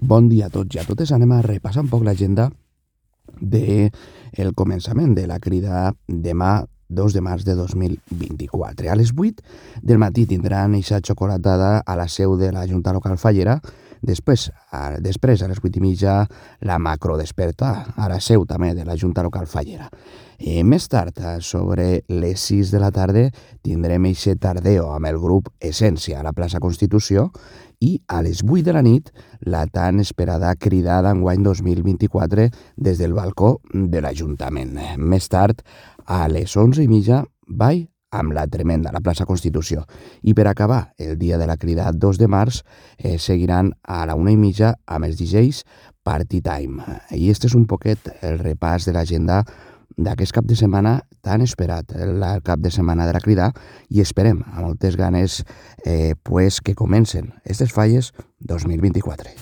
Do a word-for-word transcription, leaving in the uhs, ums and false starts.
Bon dia a tots i a totes. Anem a repassar un poc l'agenda del començament de la crida demà dos de març de dos mil vint-i-quatre. A les vuit del matí tindran eixa xocolatada a la seu de la Junta Local Fallera. Després, a, després, a les vuit i mitja, la macrodesperta a la seu també de la Junta Local Fallera. Eh, més tard, sobre les sis de la tarda, tindrem eixe tardeo amb el grup Essència a la plaça Constitució i a les vuit de la nit la tan esperada cridada enguany dos mil vint-i-quatre des del balcó de l'Ajuntament. Més tard, a les onze i mitja, ball amb la tremenda, a la plaça Constitució. I per acabar el dia de la crida dos de març, eh, seguiran a la una i mitja amb els D Js Party Time. I este és un poquet el repàs de l'agenda d'aquest cap de setmana tan esperat, el cap de setmana de la crida, i esperem a moltes ganes eh, pues, que comencen aquestes falles dos mil vint-i-quatre.